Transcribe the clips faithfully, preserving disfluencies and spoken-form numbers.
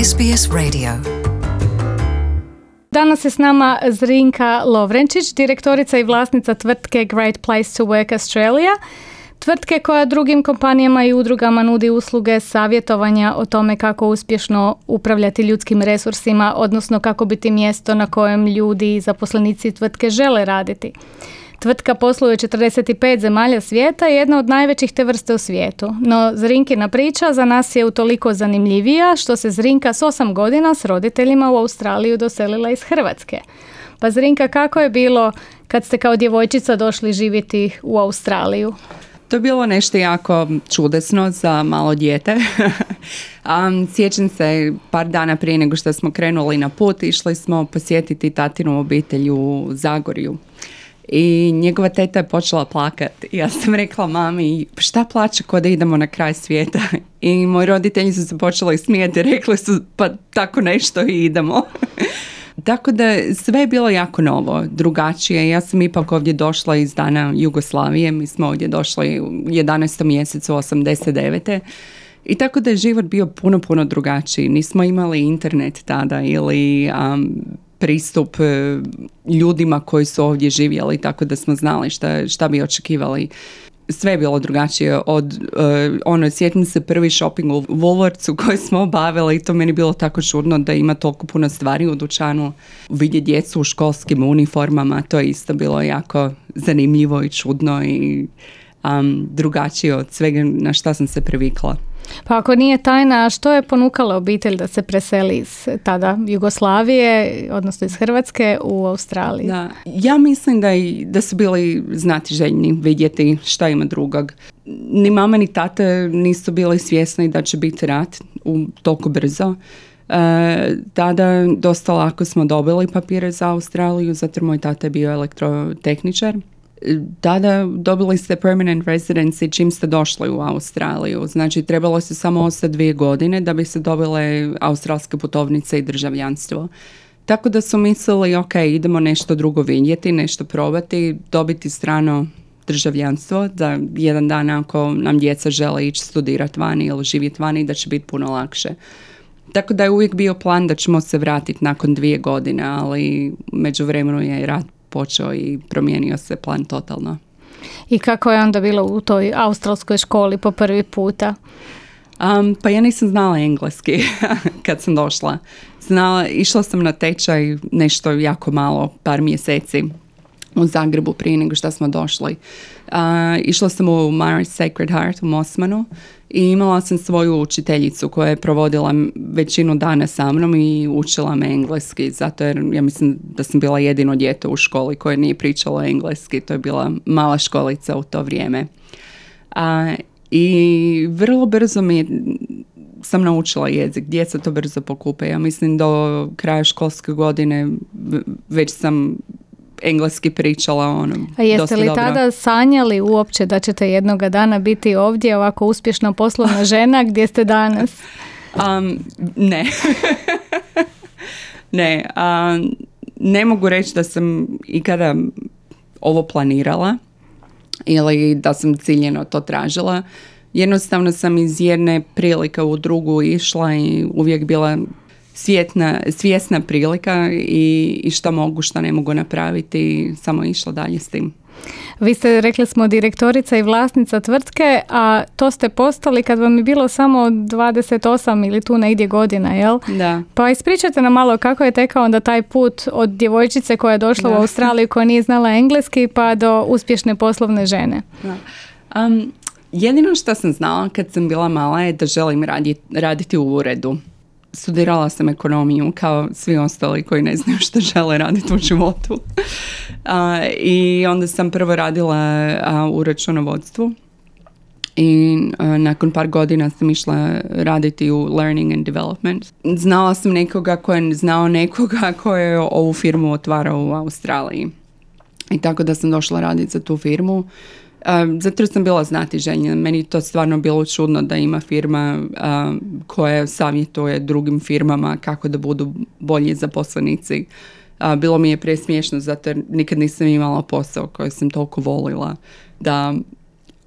S B S Radio. Danas je s nama Zrinka Lovrenčić, direktorica i vlasnica tvrtke Great Place to Work Australia, tvrtke koja drugim kompanijama i udrugama nudi usluge savjetovanja o tome kako uspješno upravljati ljudskim resursima, odnosno kako biti mjesto na kojem ljudi i zaposlenici tvrtke žele raditi. Tvrtka posluje u četrdeset pet zemalja svijeta i jedna od najvećih te vrste u svijetu. No Zrinkina priča za nas je utoliko zanimljivija što se Zrinka s osam godina s roditeljima u Australiju doselila iz Hrvatske. Pa Zrinka, kako je bilo kad ste kao djevojčica došli živjeti u Australiju? To je bilo nešto jako čudesno za malo dijete. um, sjećam se par dana prije nego što smo krenuli na put, išli smo posjetiti tatinu obitelj u Zagorju. I njegova teta je počela plakati. Ja sam rekla mami, šta plače ko da idemo na kraj svijeta? I moji roditelji su se počeli smijeti i rekli su pa tako nešto i idemo. Tako da sve je bilo jako novo, drugačije. Ja sam ipak ovdje došla iz dana Jugoslavije. Mi smo ovdje došli u jedanaestom mjesecu osamdeset devete. I tako da je život bio puno, puno drugačiji. Nismo imali internet tada ili um, pristup ljudima koji su ovdje živjeli, tako da smo znali šta, šta bi očekivali. Sve je bilo drugačije od, uh, ono, sjetim se prvi shopping u Woolworthsu koji smo obavili i to meni bilo tako čudno da ima toliko puno stvari u dućanu. Vidjeti djecu u školskim uniformama, to je isto bilo jako zanimljivo i čudno i um, drugačije od svega na šta sam se privikla. Pa ako nije tajna, što je ponukalo obitelj da se preseli iz tada Jugoslavije, odnosno iz Hrvatske u Australiju? Da. Ja mislim da, i, da su bili znatiželjni vidjeti šta ima drugog. Ni mama ni tata nisu bili svjesni da će biti rat u, toliko brzo. E, tada dosta lako smo dobili papire za Australiju, zato moj tata je bio elektrotehničar. Tada dobili ste permanent residency čim ste došli u Australiju. Znači, trebalo se samo ostati dvije godine da bi se dobile australske putovnice i državljanstvo. Tako da su mislili, ok, idemo nešto drugo vidjeti, nešto probati, dobiti strano državljanstvo, da jedan dan ako nam djeca žele ići studirati vani ili živjeti vani, da će biti puno lakše. Tako da je uvijek bio plan da ćemo se vratiti nakon dvije godine, ali međuvremenu je rat počeo i promijenio se plan totalno. I kako je onda bilo u toj australskoj školi po prvi puta? Um, pa ja nisam znala engleski kad sam došla. Znala, išla sam na tečaj nešto jako malo, par mjeseci u Zagrebu prije nego što smo došli. Uh, išla sam u Mary's Sacred Heart u Mosmanu i imala sam svoju učiteljicu koja je provodila većinu dana sa mnom i učila me engleski, zato jer ja mislim da sam bila jedino dijete u školi koje nije pričalo engleski. To je bila mala školica u to vrijeme. Uh, I vrlo brzo mi sam naučila jezik. Djeca to brzo pokupe. Ja mislim do kraja školske godine već sam engleski pričala ono. A jeste li dobro. tada sanjali uopće da ćete jednoga dana biti ovdje ovako uspješna poslovna žena gdje ste danas? Um, ne. ne. Um, ne mogu reći da sam ikada ovo planirala ili da sam ciljeno to tražila. Jednostavno sam iz jedne prilike u drugu išla i uvijek bila Svjetna, svjesna prilika i, i šta mogu, šta ne mogu napraviti, samo išla dalje s tim. Vi ste, rekli smo, direktorica i vlasnica tvrtke, a to ste postali kad vam je bilo samo dvadeset osam ili tu negdje godina, jel? Da. Pa ispričajte nam malo kako je tekao onda taj put od djevojčice koja je došla da. u Australiju, koja nije znala engleski, pa do uspješne poslovne žene. Da. Um, jedino što sam znala kad sam bila mala je da želim raditi, raditi u uredu. Studirala sam ekonomiju kao svi ostali koji ne znaju što žele raditi u životu. Uh, I onda sam prvo radila uh, u računovodstvu i uh, nakon par godina sam išla raditi u learning and development. Znala sam nekoga ko je znao nekoga ko je ovu firmu otvarao u Australiji. I tako da sam došla raditi za tu firmu. Um, zato jer sam bila znatiželjna. Meni to stvarno bilo čudno da ima firma um, koja savjetuje drugim firmama kako da budu bolji zaposlenici. Uh, bilo mi je presmiješno zato jer nikad nisam imala posao koji sam toliko volila da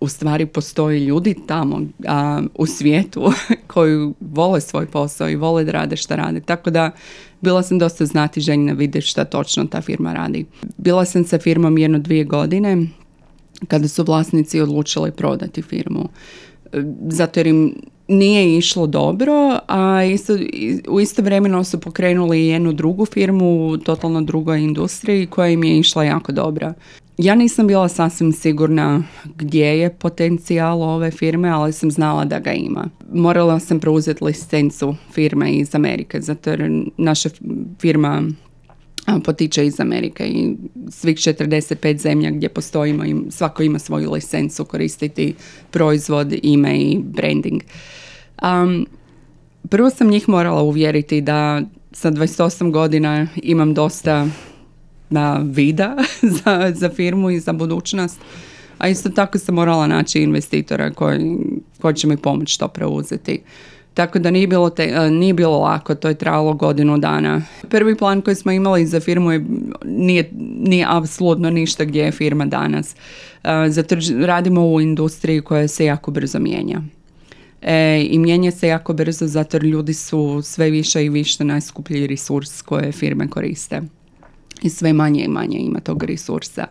u stvari postoje ljudi tamo a, u svijetu koji vole svoj posao i vole da rade šta rade. Tako da bila sam dosta znatiželjna vidjeti šta točno ta firma radi. Bila sam sa firmom jedno dvije godine kada su vlasnici odlučili prodati firmu. Zato jer im nije išlo dobro, a isto, u isto vremeno su pokrenuli jednu drugu firmu u totalno drugoj industriji koja im je išla jako dobra. Ja nisam bila sasvim sigurna gdje je potencijal ove firme, ali sam znala da ga ima. Morala sam preuzeti licencu firme iz Amerike, zato jer naša firma potiče iz Amerike i svih četrdeset pet zemlja gdje postojimo, svako ima svoju licencu koristiti proizvod, ime i branding. Um, prvo sam njih morala uvjeriti da sa dvadeset osam godina imam dosta na vida za, za firmu i za budućnost, a isto tako sam morala naći investitora koji, koji će mi pomoći to preuzeti. Tako da nije bilo, te, nije bilo lako, to je trajalo godinu dana. Prvi plan koji smo imali za firmu je, nije, nije apsolutno ništa gdje je firma danas. Zato radimo u industriji koja se jako brzo mijenja. E, I mijenja se jako brzo zato jer ljudi su sve više i više najskuplji resurs koje firme koriste. I sve manje i manje ima tog resursa.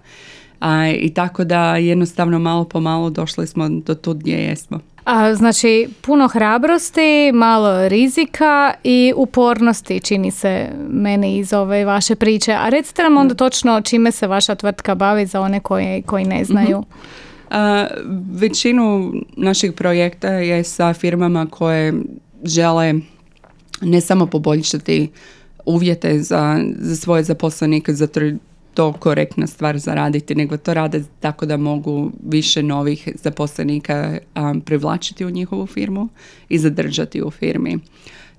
A, I tako da jednostavno malo po malo došli smo do tu gdje jesmo. A, znači puno hrabrosti, malo rizika i upornosti čini se meni iz ove vaše priče. A recite nam onda točno čime se vaša tvrtka bavi za one koji, koji ne znaju. Mm-hmm. A, većinu naših projekta je sa firmama koje žele ne samo poboljšati uvjete za, za svoje zaposlenike, zato je to korektna stvar za raditi, nego to rade tako da mogu više novih zaposlenika um, privlačiti u njihovu firmu i zadržati u firmi.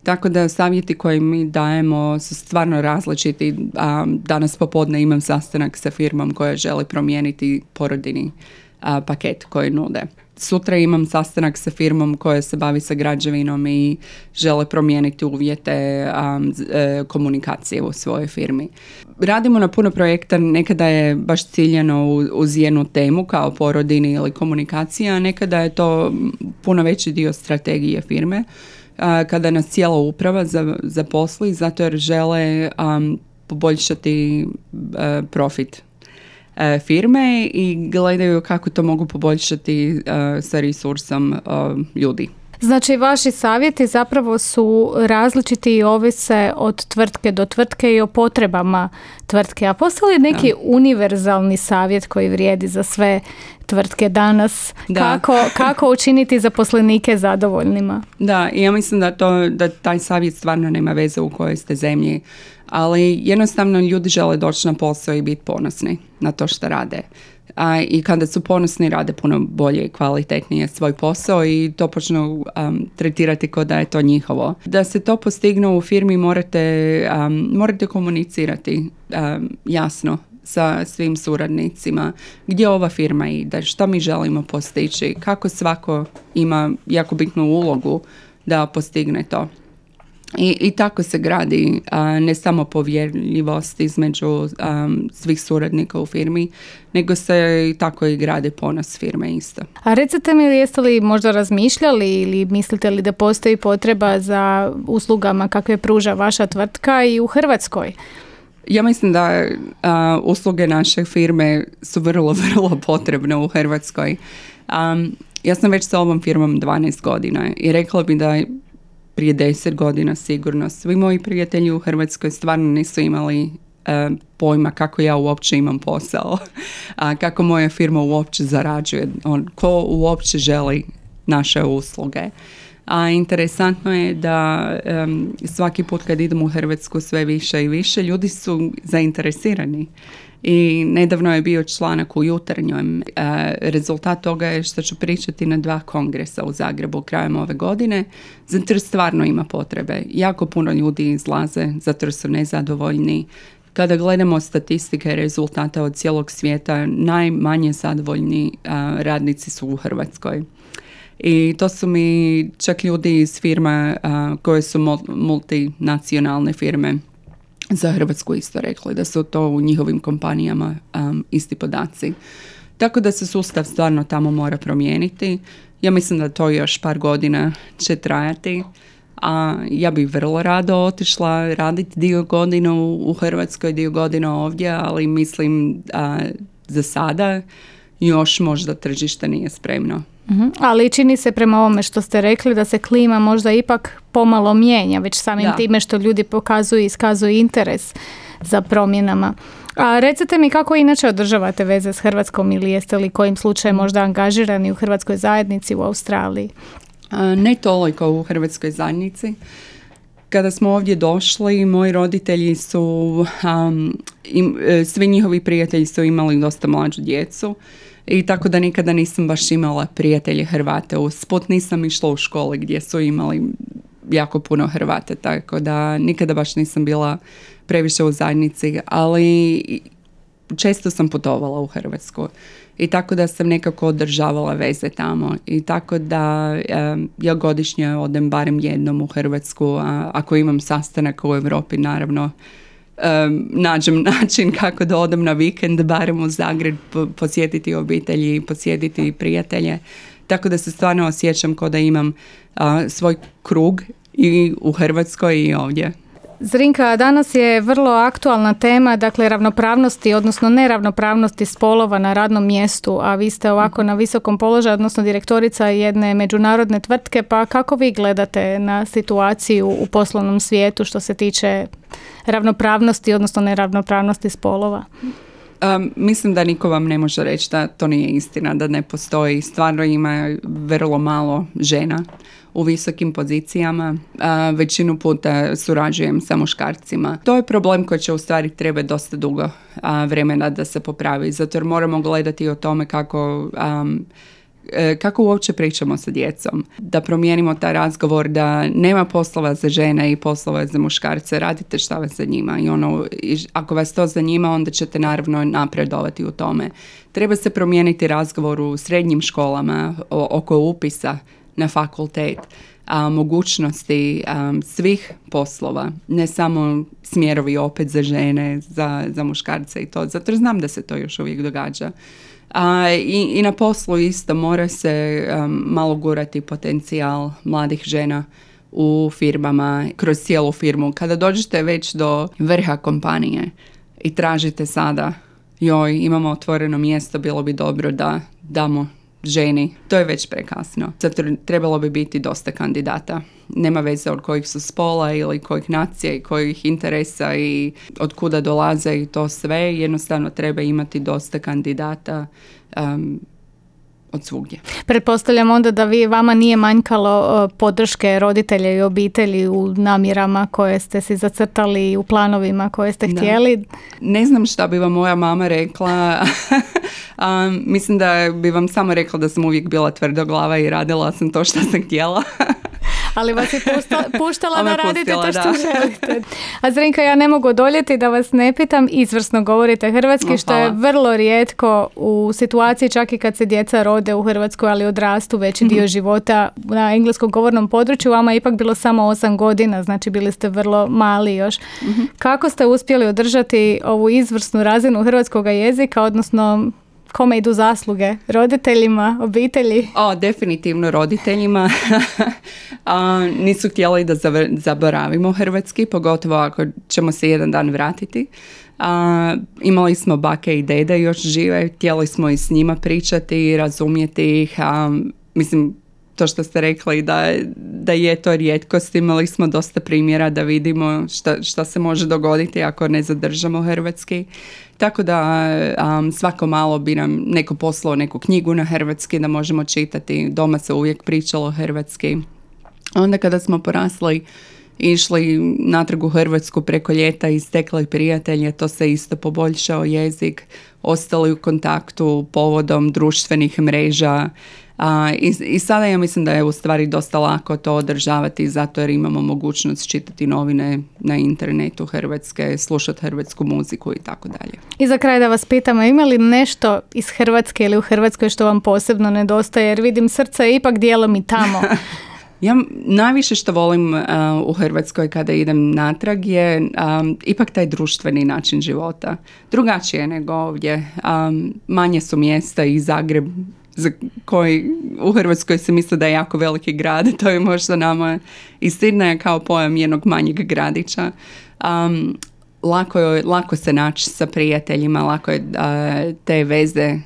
Tako da savjeti koje mi dajemo su stvarno različiti. Um, danas popodne imam sastanak sa firmom koja želi promijeniti porodiljni uh, paket koji nude. Sutra imam sastanak sa firmom koja se bavi sa građevinom i žele promijeniti uvjete um, komunikacije u svojoj firmi. Radimo na puno projekta, nekada je baš ciljano uz jednu temu kao porodiljni ili komunikacija, a nekada je to puno veći dio strategije firme, uh, kada nas cijela uprava zaposli zato jer žele um, poboljšati uh, profit firme i gledaju kako to mogu poboljšati uh, sa resursom uh, ljudi. Znači, vaši savjeti zapravo su različiti i ovise od tvrtke do tvrtke i o potrebama tvrtke. A postoji li neki da. univerzalni savjet koji vrijedi za sve tvrtke danas? Da. Kako, kako učiniti zaposlenike zadovoljnima? Da, ja mislim da, to, da taj savjet stvarno nema veze u kojoj ste zemlji, ali jednostavno ljudi žele doći na posao i biti ponosni na to što rade. A, I kada su ponosni rade puno bolje i kvalitetnije svoj posao i to počnu um, tretirati kao da je to njihovo. Da se to postigne u firmi morate, um, morate komunicirati um, jasno sa svim suradnicima gdje ova firma ide, što mi želimo postići, kako svako ima jako bitnu ulogu da postigne to. I, i tako se gradi a, ne samo povjerljivost između um, svih suradnika u firmi, nego se i tako i gradi ponos firme isto. A recite mi, jeste li možda razmišljali ili mislite li da postoji potreba za uslugama kakve pruža vaša tvrtka i u Hrvatskoj? Ja mislim da a, usluge naše firme su vrlo, vrlo potrebne u Hrvatskoj. Um, ja sam već sa ovom firmom dvanaest godina i rekla bi da prije deset godina sigurno svi moji prijatelji u Hrvatskoj stvarno nisu imali uh, pojma kako ja uopće imam posao, a kako moja firma uopće zarađuje, on, ko uopće želi naše usluge. A interesantno je da um, svaki put kad idem u Hrvatsku sve više i više ljudi su zainteresirani. I nedavno je bio članak u Jutarnjem. E, rezultat toga je što ću pričati na dva kongresa u Zagrebu krajem ove godine, zato jer stvarno ima potrebe. Jako puno ljudi izlaze, zato jer su nezadovoljni. Kada gledamo statistike rezultata od cijelog svijeta, najmanje zadovoljni a, radnici su u Hrvatskoj. I to su mi čak ljudi iz firma a, koje su multinacionalne firme za Hrvatsku isto rekli, da su to u njihovim kompanijama um, isti podaci. Tako da se sustav stvarno tamo mora promijeniti. Ja mislim da to još par godina će trajati. A ja bih vrlo rado otišla raditi dio godina u Hrvatskoj, dio godina ovdje, ali mislim a, za sada još možda tržište nije spremno. Uh-huh. Ali čini se prema ovome što ste rekli da se klima možda ipak pomalo mijenja, već samim da. time što ljudi pokazuju i iskazuju interes za promjenama. A recite mi kako inače održavate veze s Hrvatskom ili jeste li kojim slučajem možda angažirani u hrvatskoj zajednici u Australiji? A, ne toliko u hrvatskoj zajednici. Kada smo ovdje došli, moji roditelji su, um, im, svi njihovi prijatelji su imali dosta mlađu djecu i tako da nikada nisam baš imala prijatelje Hrvate. Usput nisam išla u škole gdje su imali jako puno Hrvate, tako da nikada baš nisam bila previše u zajednici, ali često sam putovala u Hrvatsku i tako da sam nekako održavala veze tamo i tako da um, ja godišnje odem barem jednom u Hrvatsku, a ako imam sastanak u Europi, naravno um, nađem način kako da odem na vikend barem u Zagreb, posjetiti obitelji, posjetiti prijatelje, tako da se stvarno osjećam kao da imam uh, svoj krug i u Hrvatskoj i ovdje. Zrinka, danas je vrlo aktualna tema, dakle ravnopravnosti, odnosno neravnopravnosti spolova na radnom mjestu, a vi ste ovako na visokom položaju, odnosno direktorica jedne međunarodne tvrtke, pa kako vi gledate na situaciju u poslovnom svijetu što se tiče ravnopravnosti, odnosno neravnopravnosti spolova? Um, mislim da niko vam ne može reći da to nije istina, da ne postoji. Stvarno ima vrlo malo žena u visokim pozicijama. Uh, većinu puta surađujem sa muškarcima. To je problem koji će u stvari treba dosta dugo uh, vremena da se popravi, zato jer moramo gledati o tome kako... Um, kako uopće pričamo sa djecom, da promijenimo taj razgovor da nema poslova za žene i poslova za muškarce, radite šta vas zanima i ono, ako vas to zanima onda ćete naravno napredovati u tome. Treba se promijeniti razgovor u srednjim školama oko upisa na fakultet, a, mogućnosti a, svih poslova, ne samo smjerovi opet za žene, za, za muškarce i to, zato znam da se to još uvijek događa. A, i, i na poslu isto mora se um, malo gurati potencijal mladih žena u firmama, kroz cijelu firmu. Kada dođete već do vrha kompanije i tražite sada, joj, imamo otvoreno mjesto, bilo bi dobro da damo ženi, to je već prekasno. Zato trebalo bi biti dosta kandidata. Nema veze od kojih su spola ili kojih nacija i kojih interesa i od kuda dolaze i to sve. Jednostavno treba imati dosta kandidata um, od svugdje. Pretpostavljam onda da vi, vama nije manjkalo podrške roditelja i obitelji u namjerama koje ste si zacrtali, u planovima koje ste da. htjeli. Ne znam šta bi vam moja mama rekla. um, mislim da bi vam samo rekla da sam uvijek bila tvrdoglava i radila sam to što sam htjela. Ali vas je puštala, puštala da radite to što da. želite. A Zrinka, ja ne mogu odoljeti da vas ne pitam, izvrsno govorite hrvatski, oh, što je vrlo rijetko u situaciji čak i kad se djeca rode u Hrvatskoj, ali odrastu veći dio mm-hmm. života na engleskom govornom području. Vama je ipak bilo samo osam godina, znači bili ste vrlo mali još. Mm-hmm. Kako ste uspjeli održati ovu izvrsnu razinu hrvatskog jezika, odnosno kome idu zasluge? Roditeljima, obitelji? O, definitivno roditeljima. A, nisu htjeli da zaboravimo hrvatski, pogotovo ako ćemo se jedan dan vratiti. A, imali smo bake i dede još žive, htjeli smo i s njima pričati i razumjeti ih. A, mislim, to što ste rekli da, da je to rijetkost, imali smo dosta primjera da vidimo šta, šta se može dogoditi ako ne zadržamo hrvatski. Tako da um, svako malo bi nam neko poslao neku knjigu na hrvatski da možemo čitati. Doma se uvijek pričalo hrvatski. Onda kada smo porasli, išli natrag u Hrvatsku preko ljeta i stekli prijatelje, to se isto poboljšao jezik, ostali u kontaktu povodom društvenih mreža. A, i, I sada ja mislim da je u stvari dosta lako to održavati zato jer imamo mogućnost čitati novine na internetu hrvatske, slušati hrvatsku muziku i tako dalje. I za kraj da vas pitamo, ima li nešto iz Hrvatske ili u Hrvatskoj što vam posebno nedostaje? Jer vidim, srce je ipak dijelom i tamo. Ja najviše što volim uh, u Hrvatskoj kada idem natrag je um, ipak taj društveni način života. Drugačije nego ovdje. Um, manje su mjesta i Zagreb za koji u Hrvatskoj se misli da je jako veliki grad. To je možda nama i Sidneja kao pojam jednog manjeg gradića. Um, lako, je, lako se naći sa prijateljima, lako je uh, te veze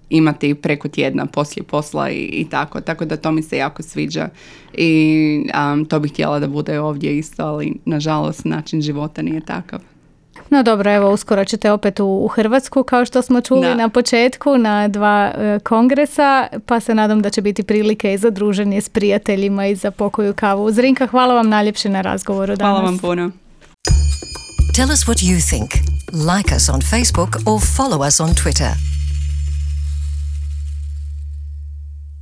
imati preko tjedna poslije posla i, i tako. Tako da to mi se jako sviđa i um, to bih htjela da bude ovdje isto, ali nažalost način života nije takav. No dobro, evo uskoro ćete opet u, u Hrvatsku kao što smo čuli da. na početku na dva e, kongresa, pa se nadam da će biti prilike i za druženje s prijateljima i za pokoju kavu. Zrinka, hvala vam najljepše na razgovoru danas. Hvala vam puno. Tell us what you think. Like us on Facebook or follow us on Twitter.